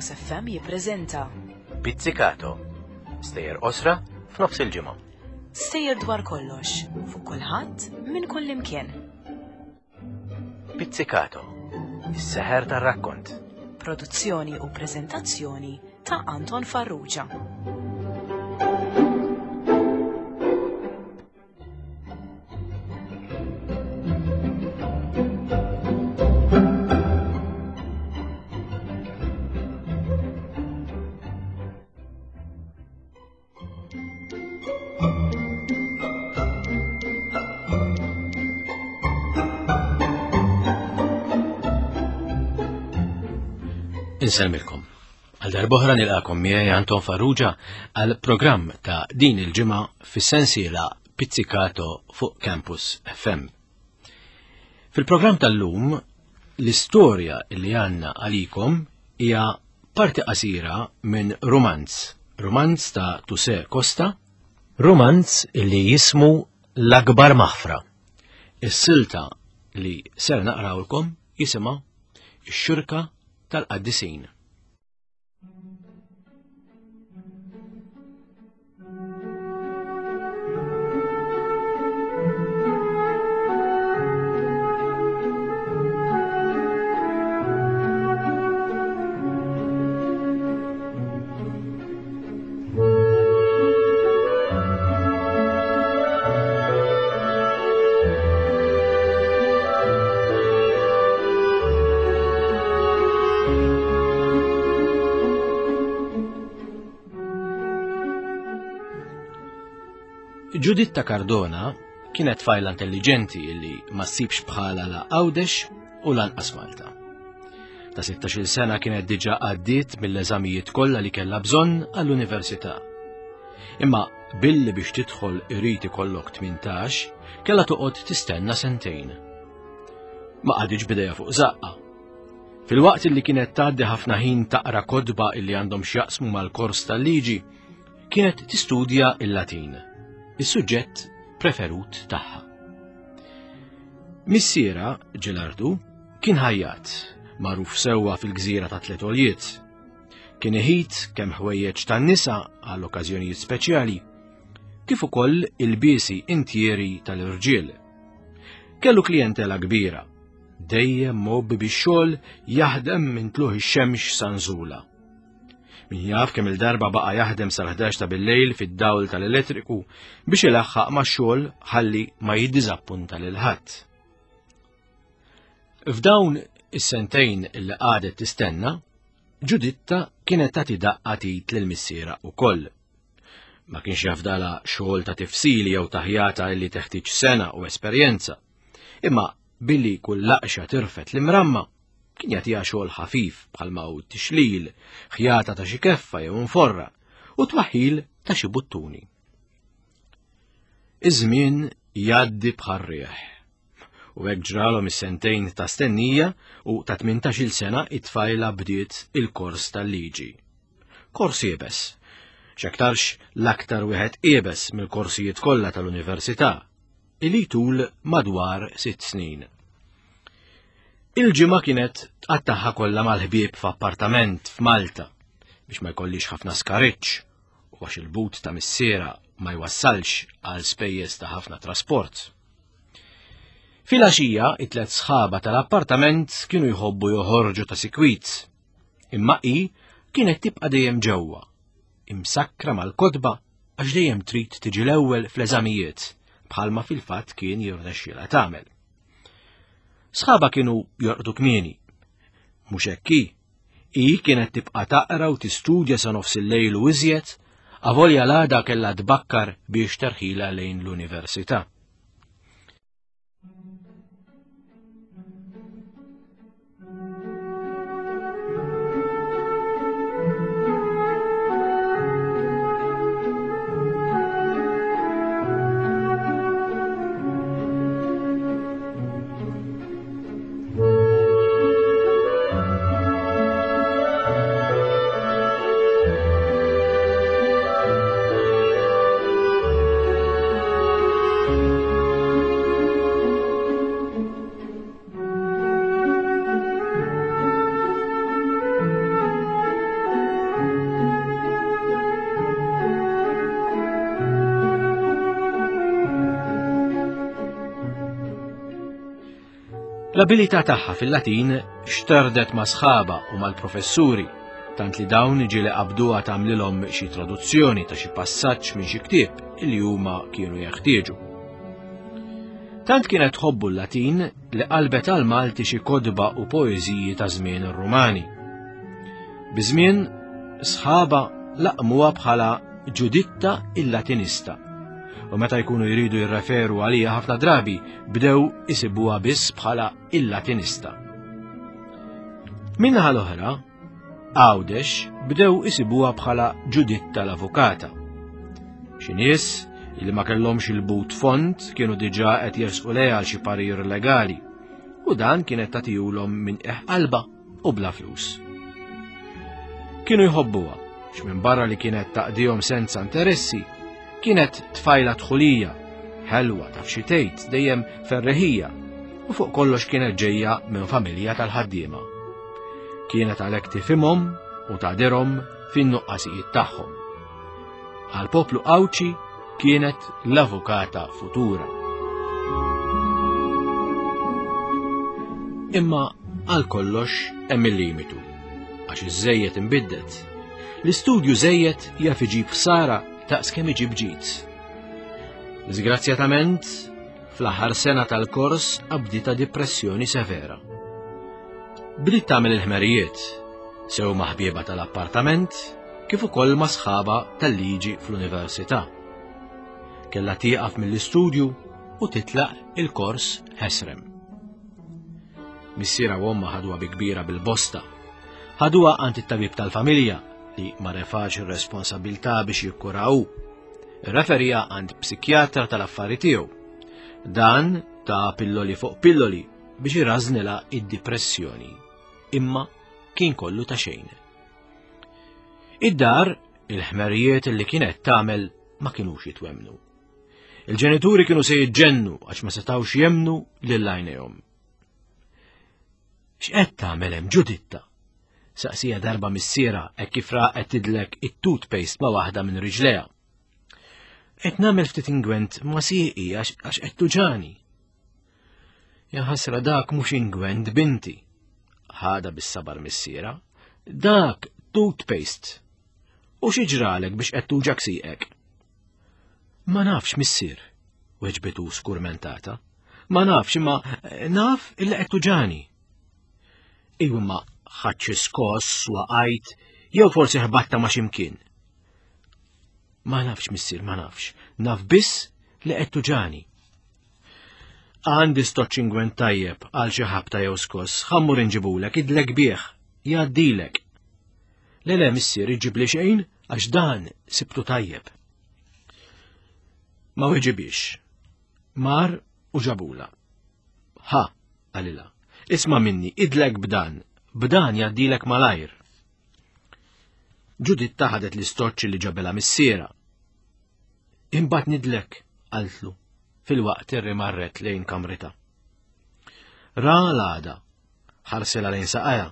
Campus FM jippreżenta Pizzicato. Stejjer qosra f'nofs il-ġimgħa. Stejjer dwar kollox, fuq kulħadd, minn kull imkien. Pizzicato. Is-seħer tar-rakkont. Produzzjoni u preżentazzjoni ta' Anton Farrugia. Insellmilkom. Għal darbohra nilqakom miegħi Anton Farrugia għal programm ta' din il-ġimgħa fis-sensiela Pizzicato fuq Campus FM. Fil-programm tal-lum, l-istorja li għandna għalikom hija parti qasira minn rumanz, rumanz ta' Tuse Costa, rumanz li jismu L-Akbar Maħfra. Is-silta li ser naqrawlkom jisimha Ix-Xirka tal-Qaddisin. Ġuditta Cardona kienet tfajla intelligenti li ma ssibx bħala la Għawdex u lanqas Malta. Ta' 16-il sena kienet diġà għaddiet mill-eżamijiet kollha li kellha bżonn għall-università. Imma billi biex tidħol irid ikollok 18, kellha toqgħod tistenna sentejn. Ma qagħditx bidejha fuq żaqqa. Filwaqt li kienet tgħaddi ħafna ħin taqra kotba illi għandhom x'jaqsmu mal-kors tal-liġi, kienet tistudja il-Latin, is-suġġett preferut tagħha. Missiera, Ġelardu, kien ħajjat, magħruf sewwa fil-gżira ta' Tliet Għoljiet. Kien iħit kemm ħwejjeġ tan-nisa għal okkażjonijiet speċjali, kif ukoll ilbiesi intieri tal-irġiel. Kellu klijentela kbira, dejjem mgħobbi bix-xogħol jaħdem minn tluħ ix-xemx sa nżula. Min jaf kemm il-darba baqa' jaħdem sal-11 ta' bil-lejl fid-dawl tal-elettriku biex ilaħħaq max-xogħol ħalli ma jiddiżappunta lil ħadd. F'dawn is-sentejn li qagħdet tistenna, Ġuditta kienet tagħti daqqa tit lil missiera wkoll. Ma kienx jafdala xogħol ta' tifsili jew taħjata li teħtieġ sena u esperjenza. Imma billi kull laqxa tirfet l-imramma, Kien jagħtiha xogħol ħafif bħalma hu tixlil, ħjata ta' xi keffa jew inforra u twaħħil ta' xi buttuni. Iż-żmien jgħaddi bħar-riħ. U hekk ġralhom is-sentejn ta' stennija u ta' 18-il sena it-tfajla bdiet il-kors tal-liġi. Kors iebes. X'aktarx l-aktar wieħed iebes mill-korsijiet kollha tal-università, li jtul madwar sitt snin. Il-ġimgħa kienet tqattaħħa kollha mal-ħbieb f'appartament f'Malta biex ma jkollix ħafna skariċ u għax il-but ta' missiera ma jwassalx għal spejjeż ta' ħafna trasport. Filgħaxija, it-tlet sħaba tal-appartament kienu jħobbu joħorġu ta' sikwit, imma hi kienet tibqa' dejjem ġewwa, imsakkra mal-kotba għax dejjem trid tiġi l-ewwel fl-eżamijiet, bħalma fil-fatt kien jirnexxielha tagħmel. Sħaba kienu jorqdu kmieni. Mhux hekk hi. Hi kienet tibqa' taqra u tistudja sa nofs il-lejl u iżjed, avolja l-għada kellha tbakkar biex terħila lejn l-università. L-abilità tagħha fil-Latin xterdet ma' sħaba u mal-professuri, tant li dawn ġieli qabduha tagħmlilhom xi traduzzjoni ta' xi passaġġ minn xi ktieb li huma kienu jeħtieġu. Tant kienet tħobbu l-Latin li qalbet għal Malti xi kotba u poeżiji ta' żmien ir-Rumani. Biż-żmien sħaba laqmuha bħala Ġuditta il-Latinista. U meta jkunu jridu jirreferu għalija ħafna drabi bdew isibuha biss bħala il-Latinista. Minnaħa l-oħra, Għawdex bdew isibuha bħala Ġuditta l-Avukata. Xi nies li ma kellhomx il-but fond kienu diġà qed jersqu lejha għal xi parir legali u dan kienet tagħtihulhom minn qiegħ qalbha u bla flus. Kienu jħobbuha, x'minn barra li kienet taqdihom senza interessi, kienet tfajla dħulija, ħelwa taf xi tgħid, dejjem ferreħija, u fuq kollox kienet ġejja minn familja tal-ħaddiema. Kienet għalhekk tifhimhom u tagħdirhom fin-nuqqasijiet tagħhom. Għall-poplu Għawdxi kienet l-avukata futura. Imma għal kollox hemm il-limitu, għax iż-żejjed imbiddet. L-istudju żejjed jaf iġib ħsara daqs kemm iġib ġid. Disgrazzjatament, fl-aħħar sena tal-kors qabditha dipressjoni severa. Bdiet tagħmel il-ħmerijiet, sew ma' ħbieba tal-appartament, kif ukoll ma' sħaba tal-liġi fl-università. Kellha tieqaf mill-istudju u titlaq il-kors ħesrem. Missiera u omma ħaduha bi kbira bil-bosta. Ħaduha għand it-tabib tal-familja li ma refax ir-responsabilità biex jikkura hu. Irreferija għand psikjatra tal-affari tiegħu. Dan ta' pilloli fuq pilloli biex irażnilha id-dipressjoni. Imma kien kollu ta' xejn. Id-dar, il-ħmerijiet li kienet tagħmel ma kinux jitwemnu. Il-ġenituri kienu se jiġġennu għax ma setawx jemnu lil għajnejhom. X'qed tagħmel hemm Ġuditta? Saqsija darba missiera hekk kif raqet tidlek it-toothpaste ma' waħda minn riġlejha. Qed nagħmel ftit ingwent ma' sieqi għax qed tuġani. Ja ħasra dak mhux ingwent binti. Ħada bis-sabar missiera. Dak toothpaste. U xi ġralek biex qed tuġak sieqek? Ma nafx missier, weġbitu skurmentata. Ma nafx imma eh, naf illi qed tuġani. Iwa ma ħadd xi skoss waqajt jew forsi ħbatta ma' ximkien. Ma nafx missier, ma nafx. Naf biss li qed tuġani. Għandi stoċ ingwent tajjeb għal xi ħabta jew skoss, ħammur inġibulek, idlek bih, jgħaddilek. Le le missier iġibli xejn għax dan sibtu tajjeb. Ma weġibix. Mar u ġabula. Ha, qalilha, isma' minni, idlek b'dan, b'dan jgħaddilek malajr. Ġuditta ħadet l-istoċċ li ġabela missiera. Imbagħad nidlek, qaltlu, filwaqt irri marret lejn kamrita. Ra l-għada, ħarsela lejn saqajha.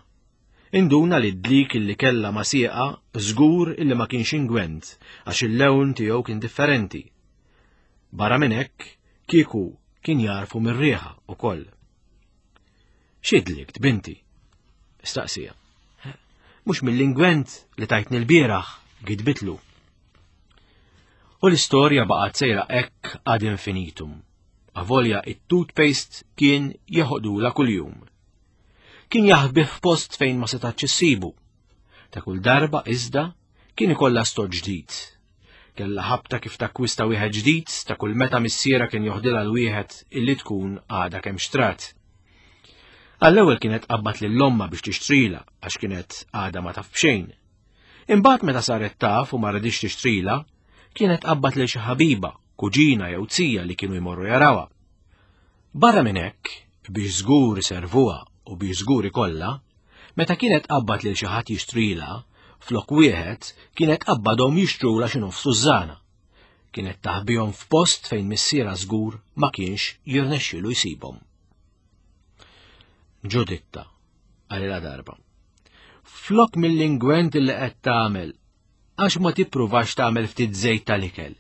Induna li d-dlik illi kellha ma' sieqa żgur illi ma kienx ingwent għax il-lewn tiegħu kien differenti. Barra minn hekk, kieku kien jarfu mir-riħa ukoll. Xi dlikt, binti? Staqsija. Mhux mill-ingwent li tajtni l-bieraħ, gidbitlu. U l-istorja baqgħet sejra hekk ad infinitum. Avolja it-toothpaste kien jeħodula kuljum. Kien jaħbih f'post fejn ma setax issibu. Ta' kull darba iżda kien ikollha stot ġdid. Kellha ħabta kif takkwista wieħed ġdid ta' kull meta missiera kien joħdilha l-wieħed illi tkun għadha kemm xtrat. Għall-ewwel kienet qabbat lil ommha biex tixtrila għax kienet għadha ma taf b'xejn. Imbagħad meta saret taf u ma ridix tixtrila, kienet qabbat lil xi ħabiba, kuġina jew zija li kienu jmorru jarawha. Barra minn hekk, biex żgur iservuha u biex żgur ikollha, meta kienet qabbat lil xi ħadd jixtrilha, flok wieħed kienet qabbadhom jixtrulha xi nofs tużżana. Kienet taħbihom f'post fejn missierha żgur ma kienx jirnexxielu jsibhom. Ġuditta, qalilha darba. Flok mill-ingwent li qed tagħmel, għax ma tippruvax tagħmel ftit żejt tal-ikel.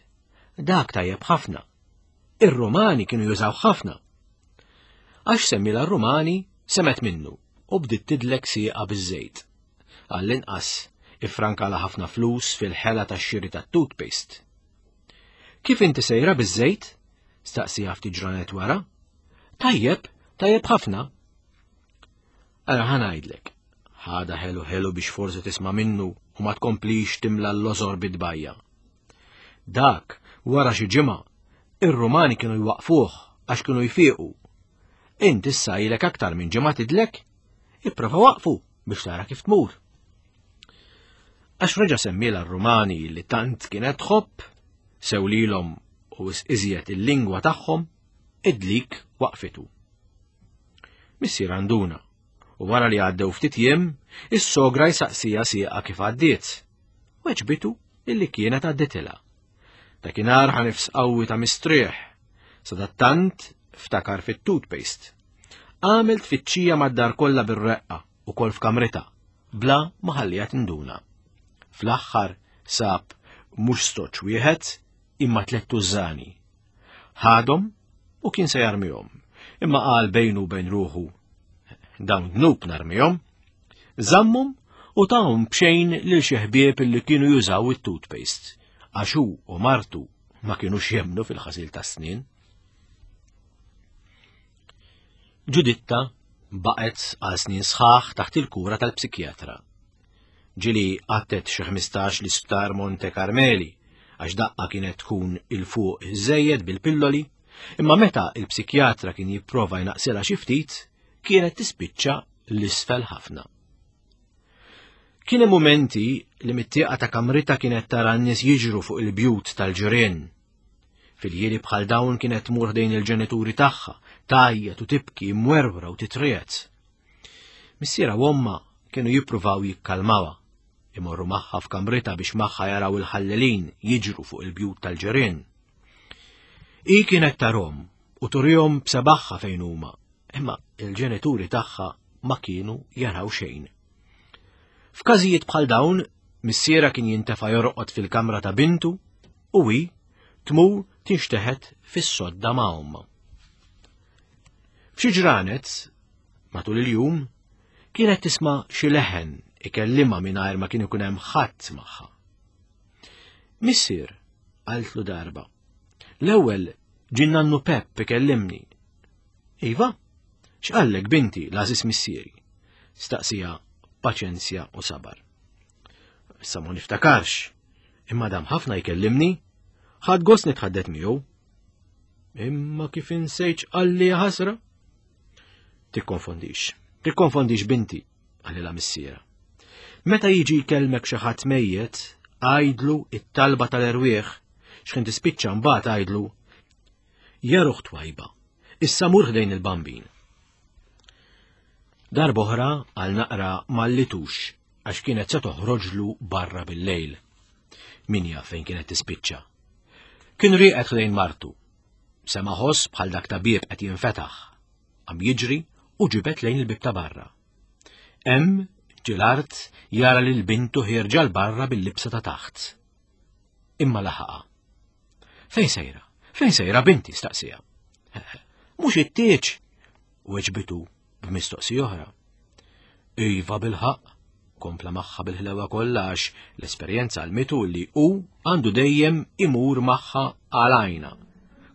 Dak tajjeb ħafna. Ir-Rumani kienu jużaw ħafna. Għax semmilha r-Rumani, semgħet minnu u bdiet tidlek sieqha biż-żejt. Għall-inqas, iffrankala ħafna flus fil-ħela tax-xiri tat-toothpaste. Kif inti sejra biż-żejt? Staqsieha ftit ġranet wara. Tajjeb, tajjeb ħafna. Ara ħa ngħidlek, ħadha ħelu ħelu biex forsi tisma' minnu u ma tkomplix timla l-lożor bit-tbajja. Dak, wara xi ġimgħa, ir-Rumani kienu jwaqfuh għax kienu jfiequ. Int issa ilek aktar minn ġimgħa tidlek, ipprova waqfu biex tara kif tmur. Għax reġa' semmiela r-Rumani li tant kienet tħobb, sew lilhom u iżjed il-lingwa tagħhom, id-dlik waqfitu. Missier għanduna, u wara li għaddew ftit jiem, is-sogra jsaqsija sieqa kif għaddiet. Weġbitu illi kienet għadditilha. Dakinhar ħa nifs qawwi ta' mistrieħ, sadattant ftakar fit-toothpaste. Għamel tfittxija mad-dar kollha bir-reqqa u kol f'kamritha, bla ma ħallija tinduna. Fl-aħħar sab mhux stoċ wieħed imma tlett tużżani. Ħadhom u kien se jarmihom, imma qal bejnu u bejn ruħu dawn dnub narmihom, żammhom u tahom b'xejn lil xi ħbieb li kienu jużaw it-toothpaste, għax hu u martu ma kinux jemmnu fil-ħasil tas-snien. Ġuditta baqgħet għal snin sħaħ taħt il-kura tal-psikjatra. Ġieli qattet xi 15 l-isptar Monte Carmeli għax daqqa kienet tkun il fuq żejjed bil-pilloli, imma meta il-psikjatra kien jipprova jnaqsilha xi ftit, kienet tispiċċa l-isfel ħafna. Kien hemm mumenti li mit-tieqa ta' kamrita kienet tara n-nies jiġru fuq il-bjut tal-ġirien. Fil-ħieli bħal dawn kienet tmur ħdejn il-ġenituri tagħha, tgħajjat u tibki mwerwra u titriegħed. Missierha u ommha kienu jippruvaw jikkalmawha, imorru magħha f'kamritha biex magħha jaraw il-ħallelin jiġru fuq il-bjut tal-ġirien. Hi kienet tarhom u turihom b'sebaħħa fejn huma, imma il-ġenituri tagħha ma kienu jaraw xejn. F'każijiet bħal dawn, missiera kien jintefa' jorqod fil-kamra ta' bintu u hi tmur tinxteħet fis-sodda ma' ommha. F'xi ġranet, matul il-jum, kienet tisma' xi leħen ikellimha mingħajr ma kien ikun hemm ħadd magħha. Missier, qaltlu darba, l-ewwel ġie nannu Pepp ikellimni. Iva, x'qallek binti l-għażiż missieri? Staqsija paċenzja u sabar. Issa ma niftakarx, imma dam ħafna jkellimni, ħadd gost nitħaddet miegħu. Imma kif insejt qalli ħasra? Tikkonfondix, tikkonfondix binti, qalilha missiera. Meta jiġi jkellmek xi ħadd mejjet, għajdlu it-talba tal-erwieħ, x'ħin tispiċċa mbagħad għajdlu Ja ruħ twajba, issa mur ħdejn il-bambin. Darb'oħra għal naqra mallitux għax kienet se toħroġlu barra bil-lejl. Min jaf fejn kienet tispiċċa. Kien rieqed ħdejn martu. Sema ħoss bħal dak ta' bieb qed jinfetaħ. Qam jiġri u ġibed lejn il-bib ta' barra. Hemm ġie l-art jara lil bintu ħierġa 'l barra bil-libsa ta' taħt. Imma laħaqha. Fejn sejra? Fejn sejra binti? staqsija. Mhux it-tieġ, weġbitu b'mistoqsija oħra. Iva bil-ħaqq, kompla magħha bil-ħlewa kollha għax l-esperjenza għalmitu li hu għandu dejjem imur magħha għal għajna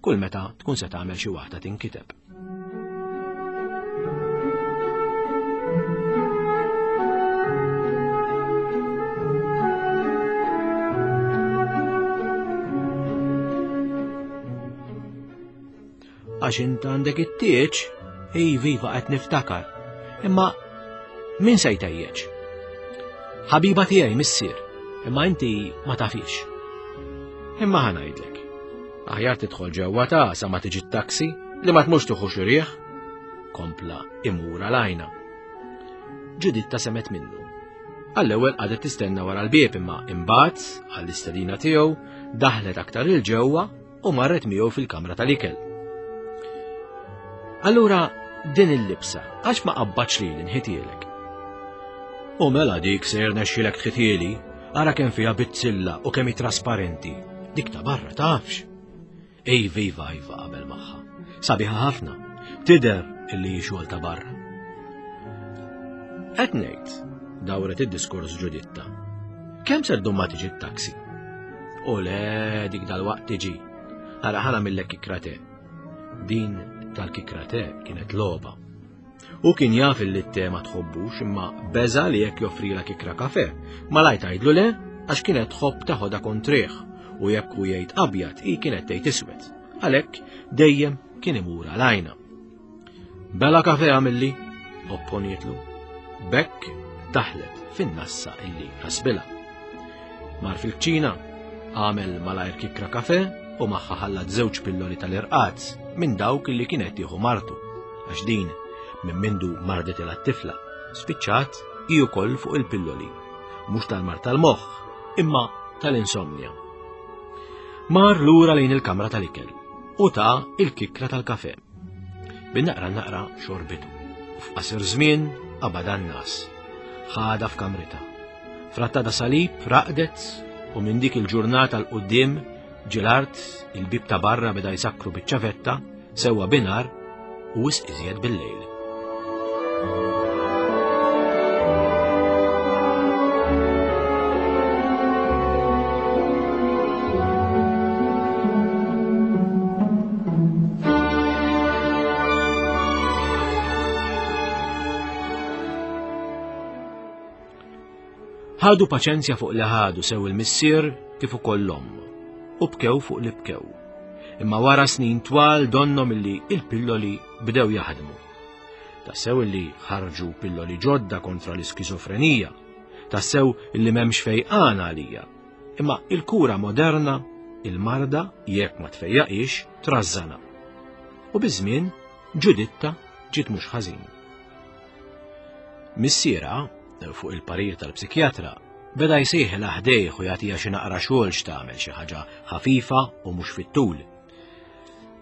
kull meta tkun se tagħmel xi waħda tinkiteb. Għax int għandek it-tieġ, iva iva qed niftakar. Imma min se jtejjeġ? Ħabiba tiegħi missier, imma inti ma tafix. Imma ħa ngħidlek. Aħjar tidħol ġewwa ta' sa ma tiġi t-taxi li ma tmux tuħu xi riħ. Kompla imur għal-għajna. Ġuditta semet minnu. Għall-ewwel qagħdet tistenna wara l-bieb imma imbagħad għall-istedina tiegħu daħlet aktar il ġewwa u marret miegħu fil-kamra tal-ikel. Allura din il-libsa għax ma qabbatx li nħitielek. U mela dik se jirnexxilek tħitieli, ara kemm fiha bizzilla u kemm hi trasparenti. Dik ta' barra tafx. Ej viva iva qabel magħha. Sabiħa ħafna. Tidher illi hi xogħol ta' barra. Qed ngħid, dawret id-diskors Ġuditta. Kemm ser ddum ma tiġi t-taxi? U le dik dal-waqt tiġi. Ara ħana millek kikra te. Din tal-kikra te kienet logħba. Hu kien jaf illi t-te ma tħobbux imma beża li jekk joffrilha kikra kafe, malajr tgħidlu le għax kienet tħobb teħodha kontrih u jekk hu jgħid abjad hi kienet tgħid iswed. Għalhekk dejjem kien imur għal għajna. Bela kafe għamilli, opponietlu. Bekk daħlet fin-nassa illi ħasbilha. Mar fil-kċina, għamel malajr kikra kafe u magħha ħallat żewġ pilloli tal-irqad minn dawk li kienet tieħu martu, għax din minn mindu mardet tifla spiċċat hi wkoll fuq il-pilloli, mhux tal-mar tal-moħħ, imma tal-insomnja. Mar lura lejn il-kamra tal-ikel u ta' il-kikra tal-kafe. Bin-naqra naqra xorbitu. U f'qasir żmien qabad nas. Ħada f'kamrita. Frattada salib raqdet u minn dik il-ġurnata 'l quddiem ġilart il-bib ta' barra beda jsakkru biċ-ċavetta sewwa binar u wisq iżjed bil-lejl. Ħadu paċenzja fuq li ħadu sew il-missier kif ukoll l-omm u bkew fuq li bkew. Imma wara snin twal donnom illi il-pilloli bdew jaħdmu. Tassew illi ħarġu pilloli ġodda kontra l-iskizofrenija, tassew illi m'hemmx fejqan għalija. Imma il-kura moderna, il-marda, jekk ma tfejjaqix, trażżana. U biż-żmien Ġuditta ġiet mhux ħażin. Missierha, fuq il-parir tal-psikjatra, beda jsejħilha ħdejh u jagħtiha xi naqra xogħol x'tagħmel xi ħaġa ħafifa u mhux fit-tul.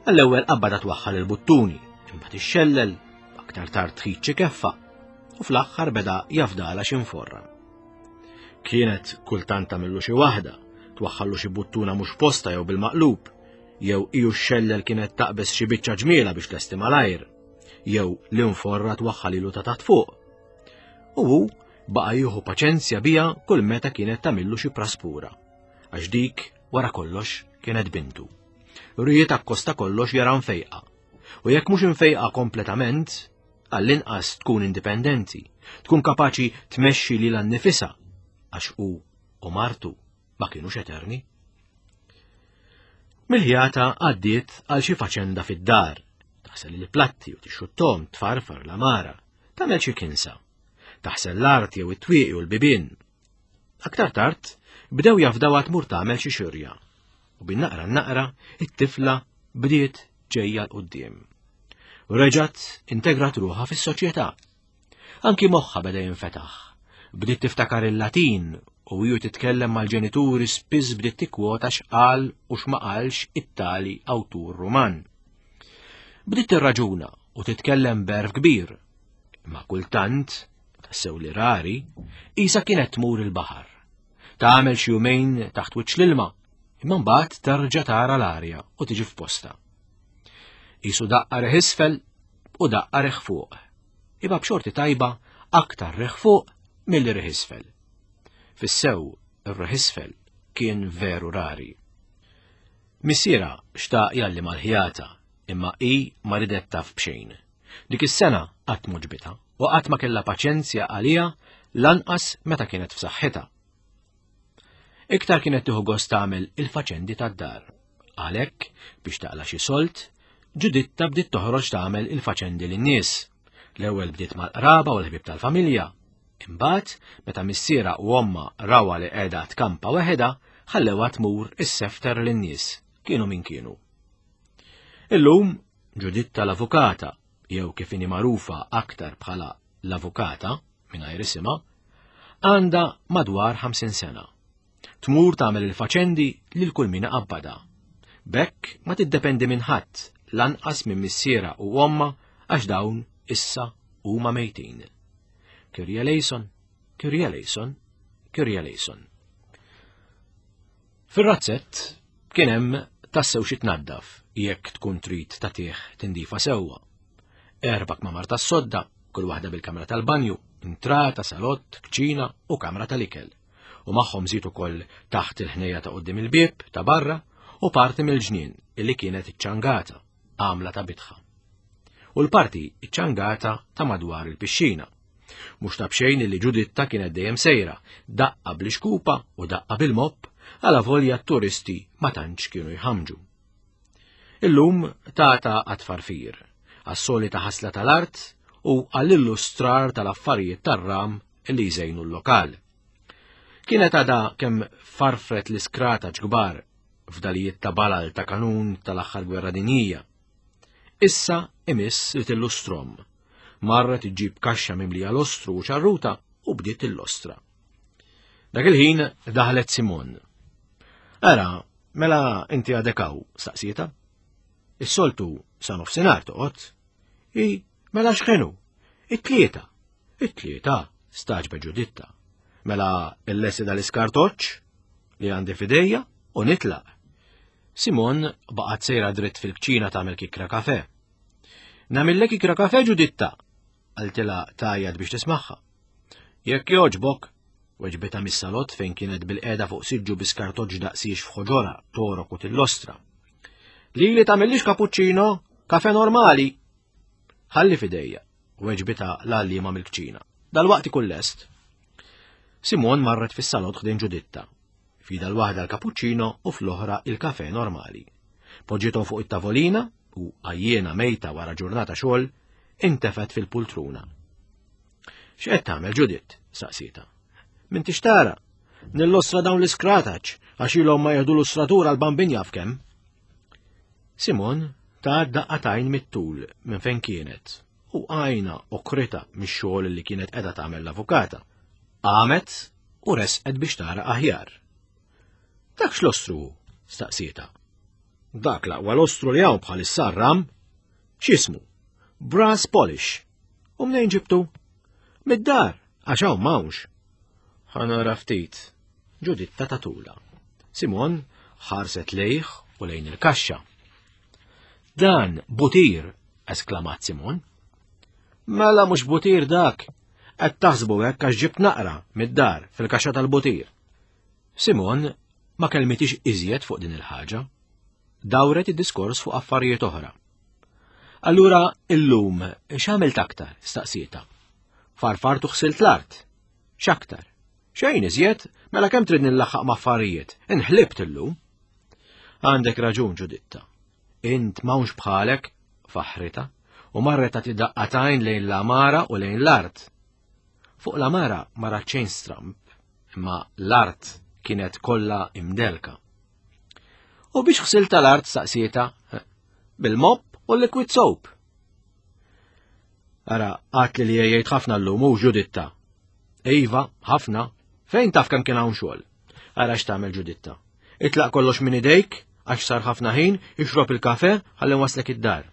Għall-ewwel qabbada twaħħal il-buttuni, imbagħad ixxellel, aktar tard tħid xi keffa, u fl-aħħar beda jafdala xi nforra. Kienet kultant tagħmillu xi waħda, twaħħallu xi buttuna mhux posta jew bil-maqlub, jew iju xellel kienet taqbeż xi biċċa ġmiela biex tlesti malajr. jew l-inforra twaħħalilu ta' taħt fuq. U hu baqa' jieħu paċenzja bija kull meta kienet tagħmillu xi praspura, għax dik wara kollox kienet bintu. Ried akkosta kollox jara mfejqa. U jekk mhux imfejqa kompletament, għall-inqas tkun indipendenti, tkun kapaċi tmexxi lilha nnifisha għax hu u martu ma kinux eterni. Mill-ħjata għaddiet għal xi faċenda fid-dar, taħsel il-platti u tixxuttom, tfarfar l-amara, tagħmel xi kinsa, taħsel l-art jew it-twieqi u l-bibien. Aktar tard bdew jafdawha tmur tagħmel xi xirja u bin-naqra naqra it-tifla bdiet ġejja l-qudiem. Reġgħet integrat ruħha fis-soċjetà Anki moħħha beda jinfetaħ. Bdiet tiftakar il-Latin u hi titkellem mal-ġenituri spiss bdiet tikkwota x'qal u x'ma qalx it-tali awtur Ruman. Bdiet tirraġuna u titkellem b'għerf kbir. Imma kultant, tassew li rari, isa kienet tmur il-baħar. Tagħmel xi jumejn taħt wiċċ l-ilma, imma mbagħad terġa' tara l-arja u tiġi f'posta. Isu daqqa reħ isfel u daqqa reħ fuq. Imma b'xorti tajba aktar reħ fuq milli reħ isfel. Fis-sew ir-reħ isfel kien veru rari. Missiera xtaq jalli mal-ħjata imma hi ma ridet taf b'xejn. Dik is-sena qatt m'għoġbitha u qatt ma kellha paċenzja għaliha lanqas meta kienet f'saħħitha. Iktar kienet tieħu gost tagħmel il-faċendi tad-dar. Għalhekk, biex taqla' xi solt, Ġuditta bdiet toħroġ tagħmel il-faċendi lin-nies. L-ewwel bdiet mal-qraba u l-ħbieb tal-familja. Imbagħad, meta missiera u omma rawha li qiegħda tkampa weħedha, ħallewha tmur issefter lin-nies, kienu min kienu. Illum, Ġuditta l-avukata, jew kif inhi magħrufa aktar bħala l-avukata, mingħajr isimha, għandha madwar 50 sena. Tmur tagħmel il-faċendi lil kull min iqabbadha. B'hekk ma tiddependi minn ħadd, lanqas minn missiera u ommha għax dawn issa huma mejtin. Kyrie eleison, Kyrie eleison, Kyrie eleison. Fir-razzett kien hemm tassew xi tnaddaf jekk tkun trid tagħtih tindifa sewwa. Erba' kmamar tas-sodda, kull waħda bil-kamra tal-banju, intrata, salott, kċina u kamra tal-ikel. U magħhom żied ukoll taħt il-ħnejja ta' quddiem il-bieb ta' barra u parti mill-ġnien illi kienet iċċangata, għamla ta' bitħa. U l-parti iċċangata ta' madwar il-pixxina. Mhux ta' b'xejn illi Ġuditta kienet dejjem sejra, daqqa bl-ixkupa u daqqa bil-mopp, għala volja t-turisti ma tantx kienu jħamġu. Illum tata għat-tfarfir, għas-solita ħasla tal-art u għall-illustrar tal-affarijiet tar-ram li jżejnu l-lokal. Kienet għadha kemm farfret l-iskrata ġgbar f'dalijiet ta' balal ta' kanun tal-aħħar gwerra dinjija. Issa imiss li tillustrom. Marret iġġib kaxxa mimlija lostru u ċarruta u bdiet illostra. Dak il-ħin daħlet Simon. Ara, Mela inti għadek hawn, staqsieta. Is-soltu sa nofsinhar toqgħod. I mela x'kienu? It-tlieta. It-tlieta, staġbe Ġuditta. Mela illesti dal-iskartoċċ li għandi fidejja u nitlaq. Simon baqgħet sejra dritt fil-kċina tagħmel kikra kafe. Namillek kikra kafe Ġuditta, qaltilha tajjad biex tismagħha. Jekk jogħġbok, weġbitha mis-salott fejn kienet bil-qiegħda fuq siġġu bi skartoġġ daqsiex f'ħoġorha, torok u tillostra. Lili tagħmillix cappuccino, kafe normali. Ħalli fidejja, weġbitha l-għalliema mill-kċina. Dalwaqt ikun lest. Simon marret fis-salott ħdejn Ġuditta. Fida l-waħda l-cappuccino u fl-oħra il-kafe normali. Poġġiethom fuq it-tavolina u għajjiena mejta wara ġurnata xogħol, intefet fil-pultruna. X'qed tagħmel Ġudit? saqsietha. M'intix tara? Nillostra dawn l-iskrataċ għax ilhom ma jieħdu l-lustratura l-bambin jaf kemm. Simon ta' daqqatajn mit-tul minn fejn kienet u għajna okrita mix-xogħol li kienet qiegħda tagħmel l-avukata. Qamet u resqet biex tara aħjar. Dak x'lostru hu? staqsietha. Dak l-aqwa lostru li hawn bħalissa ram. X'ismu? Brass polish. U mnejn ġibtu? Mid-dar, għax hawn m'hawnx. Ħanara ftit. Ġuditta tatula. Simon ħarset lejh u lejn il-kaxxa. Dan butir, esklamat Simon. Mela mhux butir dak. Qed taħsbu hekk għax ġibt naqra mid-dar fil-kaxxa tal-butir. Simon ma kelmitix iżjed fuq din il-ħaġa. Dawret id-diskors fuq affarijiet oħra. Allura illum x'għamilt aktar? staqsieta. Farfart u ħsilt l-art. X'aktar? Xejn iżjed, mela kemm trid nillaħħaq ma' affarijiet? Inħlibt illum. Għandek raġun Ġuditta. Int m'hawnx bħalek, faħrita, u marret tagħti daqqatajn lejn l-għamara u lejn l-art. Fuq l-għamara ma rat xejn stramb, imma l-art kienet kollha imdelka. U biex ħsilt tal-art saqsieta bil-mop u l-liquid soap. Ara, għat li li jgħid ħafna l-lum u ġuditta. Iva, ħafna, fejn taf kemm kien hawn xogħol. Ara x'tagħmel ġuditta. Itlaq kollox minn idejk, għax sar ħafna ħin, ixrob il-kafe, ħalli waslek id-dar.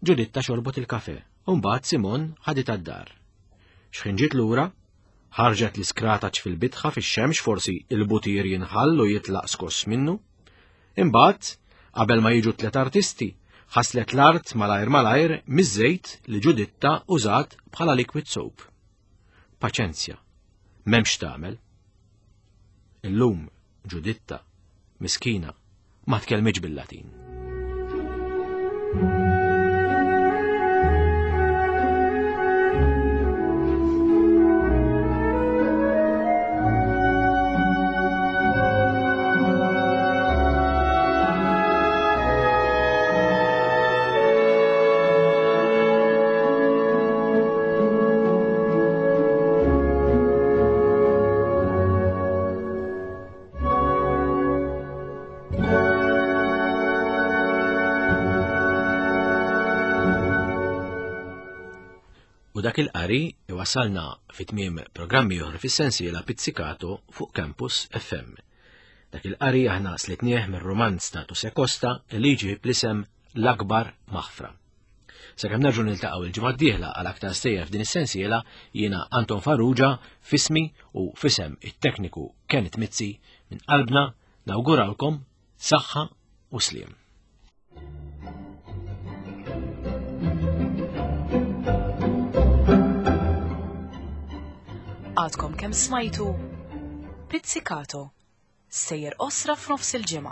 Ġuditta xorbot il-kafe, u mbagħad Simon ħaditha d-dar. Xħin ġiet lura, ħarġet l-iskrataċ fil-bitħa fix-xemx forsi il-butir jinħall u jitlaq skoss minnu. Imbagħad, qabel ma jiġu tliet artisti, ħaslet l-art malajr malajr miż-żejt li Ġuditta użat bħala liquid soap. Paċenzja, m'hemmx tagħmel. Illum Ġuditta, miskina, ma tkellmitx bil-Latin. U dak il-qari iwasalna fi tmiem programmi oħra fis-sensiela Pizzicato fuq Campus FM. Dak il-qari aħna slitnieh mir-rumanz ta' Tuse Costa li jġib l-isem L-Akbar Maħfra. Sakemm nerġgħu niltaqgħu il-ġimgħa d-dieħla għal aktar stejjer f'din is-sensiela, jiena Anton Farrugia fismi u fisem it-tekniku Kenneth Mizzi minn qalbna nawguralkom saħħa u sliem. Għadkom kemm smajtu Pizzicato, sejjer qosra f'nofs il-ġimgħa.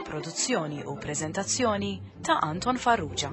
Produzzjoni u preżentazzjoni ta' Anton Farrugia.